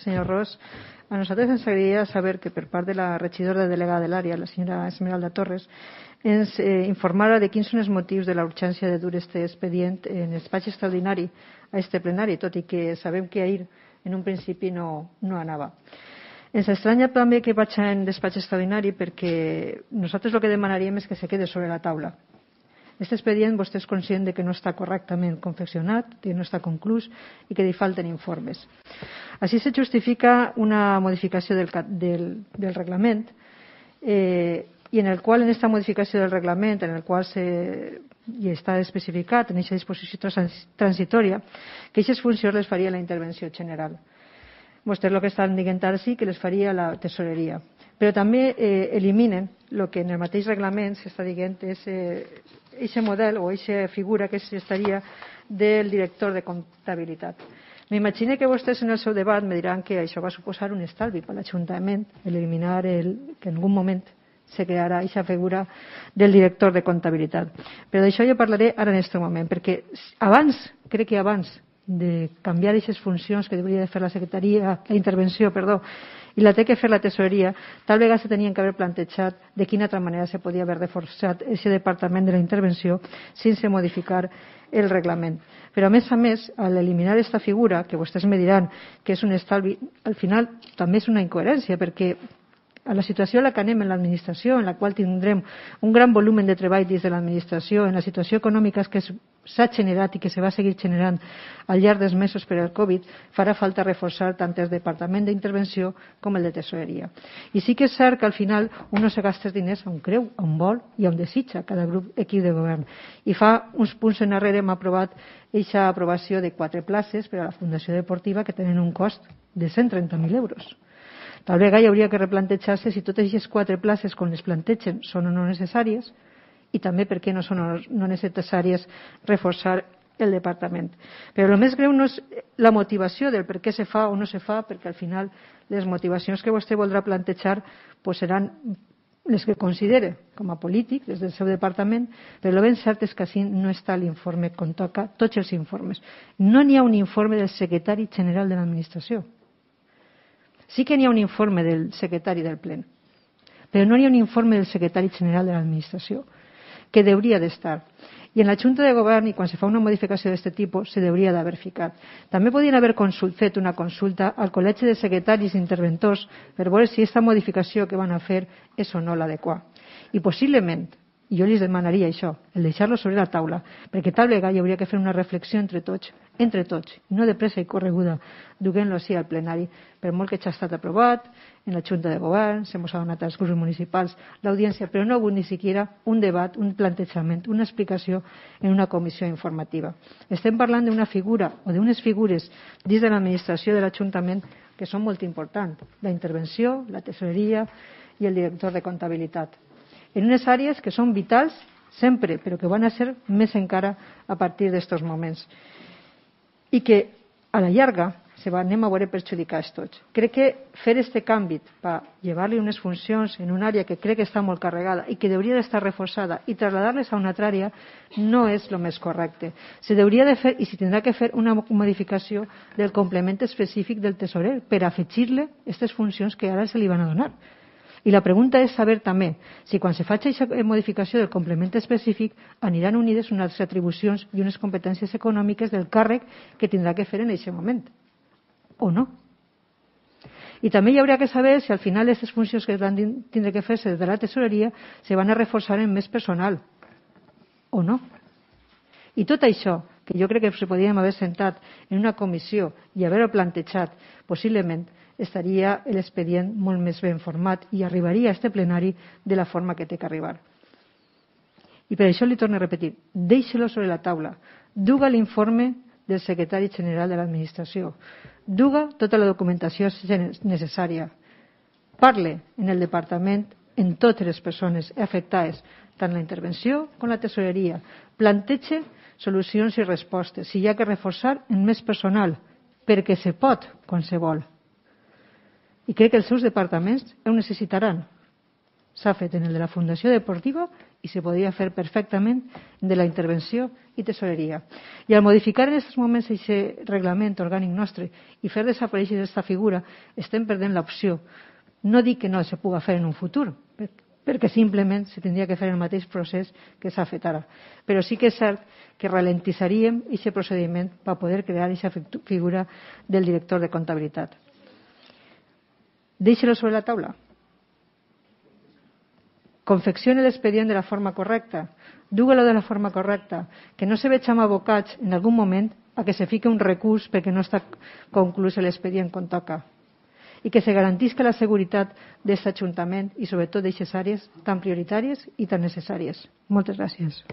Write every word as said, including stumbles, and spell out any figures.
senyor Ros. A nosaltres ens agradaria saber que per part de la regidora delegada de l'àrea, la senyora Esmeralda Torres, ens eh, informara de quins són els motius de la urgència de dur este expedient en despatx extraordinari a este plenari, tot i que sabem que ahir en un principi no, no anava. Ens estranya també que vaig en despatx extraordinari perquè nosaltres el que demanaríem és que se quede sobre la taula. Este expedient vostè és conscient de que no està correctament confeccionat, que no està conclús i que li falten informes. Així se justifica una modificació del, del, del reglament eh, i en el qual, en aquesta modificació del reglament, en el qual se, i està especificat en aquesta disposició transitòria, que aquestes funcions les faria la intervenció general. Vostès el que estan dient ara sí que les faria la tesoreria. Però també eh, eliminen el que en el mateix reglament s'està dient és aquest eh, model o aquesta figura que s'estaria del director de comptabilitat. M'imagino que vostès en el seu debat me diran que això va suposar un estalvi per l'Ajuntament, eliminar el, que en algun moment se crearà aquesta figura del director de comptabilitat. Però d'això jo parlaré ara en aquest moment, perquè abans, crec que abans de canviar aquestes funcions que hauria de fer la secretaria, la intervenció, perdó, i la té que fer la tesoreria, tal vegada se tenien que haver plantejat de quina altra manera se podia haver reforçat aquest departament de la intervenció sense modificar el reglament. Però a més a més, al eliminar aquesta figura, que vostès me diran que és un estalvi, al final també és una incoherència, perquè a la situació a la que anem en l'administració, en la qual tindrem un gran volum de treball dins de l'administració, en la situació econòmica que s'ha generat i que se va seguir generant al llarg dels mesos per al Covid, farà falta reforçar tant el departament d'intervenció com el de tesoreria. I sí que és cert que al final un no se gasta els diners on creu, on vol i on desitja cada grup equip de govern. I fa uns punts enrere hem aprovat aquesta aprovació de quatre places per a la Fundació Deportiva que tenen un cost de cent trenta mil euros. Tal vegada hi hauria que replantejar-se si totes aquestes quatre places, quan les plantegen, són o no necessàries i també per què no són no necessàries reforçar el departament. Però el més greu no és la motivació del per què se fa o no se fa, perquè al final les motivacions que vostè voldrà plantejar pues, seran les que considere com a polític des del seu departament, però el ben cert és que així no està l'informe com toca tots els informes. No n'hi ha un informe del secretari general de l'administració. Sí que n'hi ha un informe del secretari del plen, però no n'hi ha un informe del secretari general de l'administració, que hauria d'estar. I en la Junta de Govern, i quan se fa una modificació d'aquest tipus, se hauria d'haver ficat. També podien haver consult, fet una consulta al Col·legi de Secretaris i Interventors per veure si aquesta modificació que van a fer és o no l'adequada. I possiblement, i jo els demanaria això, el deixar-lo sobre la taula, perquè tal vegada hi hauria que fer una reflexió entre tots, entre tots, no de pressa i correguda, duent-lo així al plenari, per molt que ja ha estat aprovat en la Junta de Govern, se mos ha donat als grups municipals l'audiència, però no ha hagut ni siquiera un debat, un plantejament, una explicació en una comissió informativa. Estem parlant d'una figura o d'unes figures dins de l'administració de l'Ajuntament que són molt importants, la intervenció, la tesoreria i el director de comptabilitat. En unes àrees que són vitals sempre, però que van a ser més encara a partir d'estos moments. I que a la llarga se va, anem a veure perjudicats tots. Crec que fer aquest canvi per llevar-li unes funcions en una àrea que crec que està molt carregada i que hauria d'estar reforçada i traslladar-les a una altra àrea no és el més correcte. Se hauria de fer i s'hi tindrà que fer una modificació del complement específic del tesorer per afegir-li aquestes funcions que ara se li van a donar. I la pregunta és saber també si quan se faci aquesta modificació del complement específic aniran unides unes atribucions i unes competències econòmiques del càrrec que tindrà que fer en aquest moment, o no. I també hi hauria que saber si al final aquestes funcions que van tindre que fer-se des de la tesoreria se van a reforçar en més personal, o no. I tot això, que jo crec que se podíem haver sentat en una comissió i haver-ho plantejat, possiblement estaria l'expedient molt més ben format i arribaria a este plenari de la forma que té que arribar. I per això li torno a repetir, deixe-lo sobre la taula, duga l'informe del secretari general de l'administració, duga tota la documentació necessària, parle en el departament en totes les persones afectades, tant la intervenció com la tesoreria, planteja solucions i respostes, si hi ha que reforçar en més personal, perquè se pot quan se vol. I crec que els seus departaments ho necessitaran. s'ha fet en el de la Fundació Deportiva i se podria fer perfectament de la intervenció i tesoreria. I al modificar en aquests moments aquest reglament orgànic nostre i fer desaparèixer aquesta figura, estem perdent l'opció. No dic que no se puga fer en un futur, perquè simplement se tindria que fer el mateix procés que s'ha fet ara. Però sí que és cert que ralentitzaríem aquest procediment per poder crear aquesta figura del director de comptabilitat. Deixe-lo sobre la taula. Confeccione l'expedient de la forma correcta, dugue-lo de la forma correcta, que no se vegem abocats en algun moment a que se fique un recurs perquè no està conclús l'expedient com toca i que se garantisca la seguretat d'aquest Ajuntament i sobretot d'aquestes àrees tan prioritàries i tan necessàries. Moltes gràcies.